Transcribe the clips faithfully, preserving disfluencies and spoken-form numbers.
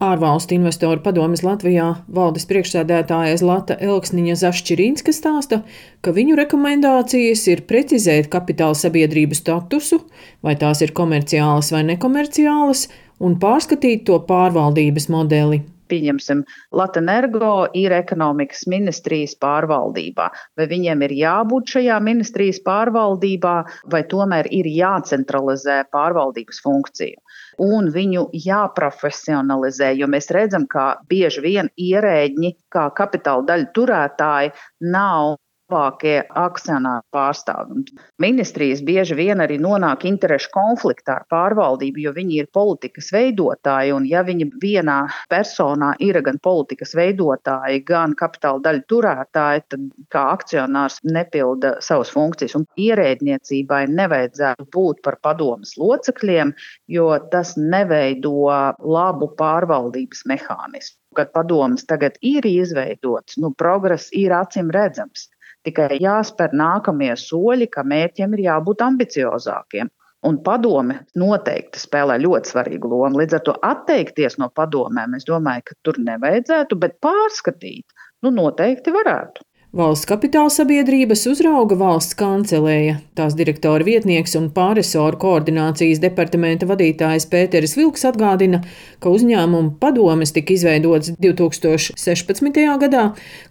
ārvalstu investoru padomes Latvijā valdes priekšsēdētāja Zlata Elksniņa Zašķirīnska stāsta, ka viņu rekomendācijas ir precizēt kapitāla sabiedrību statusu, vai tās ir komerciālas vai nekomerciālas, un pārskatīt to pārvaldības modeli. Pieņemsim, Latenergo ir ekonomikas ministrijas pārvaldībā. Vai viņiem ir jābūt šajā ministrijas pārvaldībā, vai tomēr ir jācentralizē pārvaldības funkciju? Un viņu jāprofesionalizē, jo mēs redzam, ka bieži vien ierēģi, kā kapitāla daļu turētāji, nav labākie akcionāri pārstāvi. Ministrijas bieži vien arī nonāk interešu konfliktā ar pārvaldību, jo viņi ir politikas veidotāji, un ja viņi vienā personā ir gan politikas veidotāji, gan kapitāla daļu turētāji, tad kā akcionārs nepilda savas funkcijas. Un ierēdniecībai nevajadzētu būt par padomes locekļiem, jo tas neveido labu pārvaldības mehānismu. Kad padomes tagad ir izveidots, nu, progress ir acīm redzams. Tikai jāspēr nākamie soļi, ka mērķiem ir jābūt ambiciozākiem. Un padome noteikti spēlē ļoti svarīgu lomu. Līdz ar to atteikties no padomēm, es domāju, ka tur nevajadzētu, bet pārskatīt, nu noteikti varētu. Valsts kapitāla sabiedrības uzrauga valsts kancelēja. Tās direktora vietnieks un pārresoru koordinācijas departamenta vadītājs Pēteris Vilks atgādina, ka uzņēmumu padomes tika izveidots divi tūkstoši sešpadsmitajā gadā,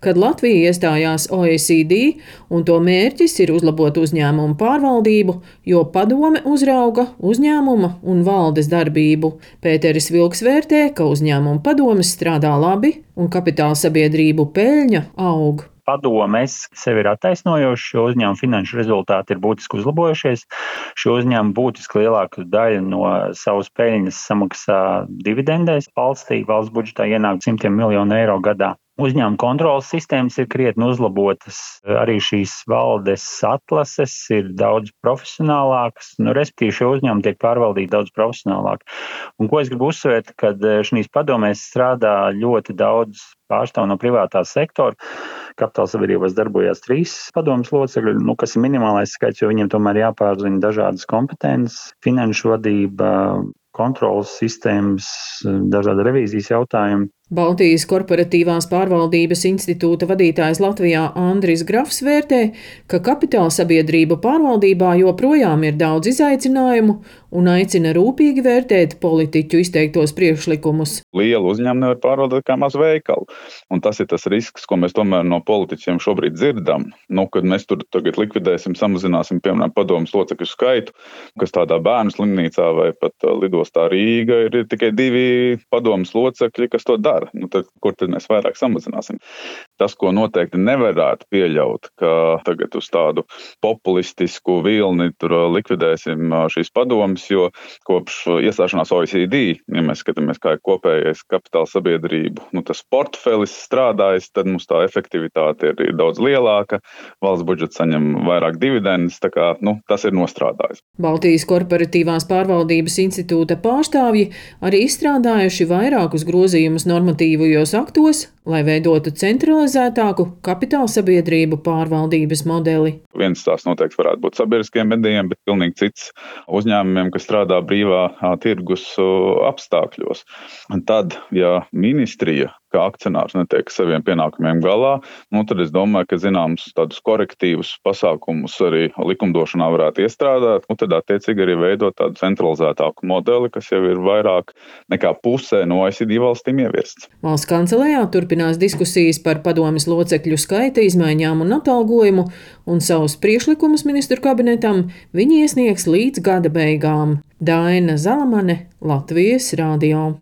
kad Latvija iestājās O E C D, un to mērķis ir uzlabot uzņēmumu pārvaldību, jo padome uzrauga uzņēmuma un valdes darbību. Pēteris Vilks vērtē, ka uzņēmumu padomes strādā labi un kapitāla sabiedrību peļņa aug. Padomes sevi ir attaisnojuši, jo uzņēmuma finanšu rezultāti ir būtiski uzlabojušies. Šo uzņēmumu būtiski lielāku daļu no savas peļņas samaksā dividendēs valstī. Valsts budžetā ienāk simtiem miljonu eiro gadā. Uzņēmuma kontrolas sistēmas ir krietni uzlabotas, arī šīs valdes atlases ir daudz profesionālākas, nu, respektīvi šie uzņēmumi tiek pārvaldīti daudz profesionālāk. Un ko es gribu uzsvērt, kad šīs padomēs strādā ļoti daudz pārstāvu no privātā sektora. Kapitāla sabiedrībās darbojās trīs padomes locekļi, nu, kas ir minimālais skaits, jo viņiem tomēr jāpārzina dažādas kompetences, finanšu vadība, kontrolas sistēmas, dažādi revīzijas jautājumi. Baltijas korporatīvās pārvaldības institūta vadītājs Latvijā Andris Grafs vērtē, ka kapitāla sabiedrību pārvaldībā joprojām ir daudz izaicinājumu un aicina rūpīgi vērtēt politiķu izteiktos priekšlikumus. Lielu uzņēmumu nevar pārvaldīt kā mazu veikalu, un tas ir tas risks, ko mēs tomēr no politiķiem šobrīd dzirdam. Nu, kad mēs tur tagad likvidēsim, samazināsim, piemēram, padomes locekļu skaitu, kas tādā bērnu slimnīcā vai pat lidostā Rīga ir tikai divi padomes locekļi, kas to dara. Nu, tad, kur tad mēs vairāk samazināsim? Tas, ko noteikti nevarētu pieļaut, ka tagad uz tādu populistisku vilni tur likvidēsim šīs padomes, jo kopš iestāšanās O E C D, ja mēs skatāmies, kā ir kopējais kapitāla sabiedrību, nu, tas portfelis strādājis, tad mums tā efektivitāte ir, ir daudz lielāka, valsts budžets saņem vairāk dividendes, tā kā, nu, tas ir nostrādājis. Baltijas korporatīvās pārvaldības institūta pārstāvji arī izstrādājuši vairākus grozījumus normatīvajos aktos, lai veidotu centralizētāku kapitāla sabiedrību pārvaldības modeli. Viens tās noteikti varētu būt sabiedriskiem medijiem, bet pilnīgi cits uzņēmumiem, kas strādā brīvā tirgus apstākļos. Un tad, ja ministrija kā akcionārs netiek saviem pienākumiem galā, nu tad es domāju, ka zināms tādus korektīvus pasākumus arī likumdošanā varētu iestrādāt, un tad attiecīgi arī veidot tādu centralizētāku modeli, kas jau ir vairāk nekā pusē no O E C D valstīm ieviests. Valsts kancelējā turpinās diskusijas par padomes locekļu skaita izmaiņām un atalgojumu, un savus priekšlikumus ministru kabinetam viņi iesniegs līdz gada beigām. Daina Zalamane, Latvijas radio.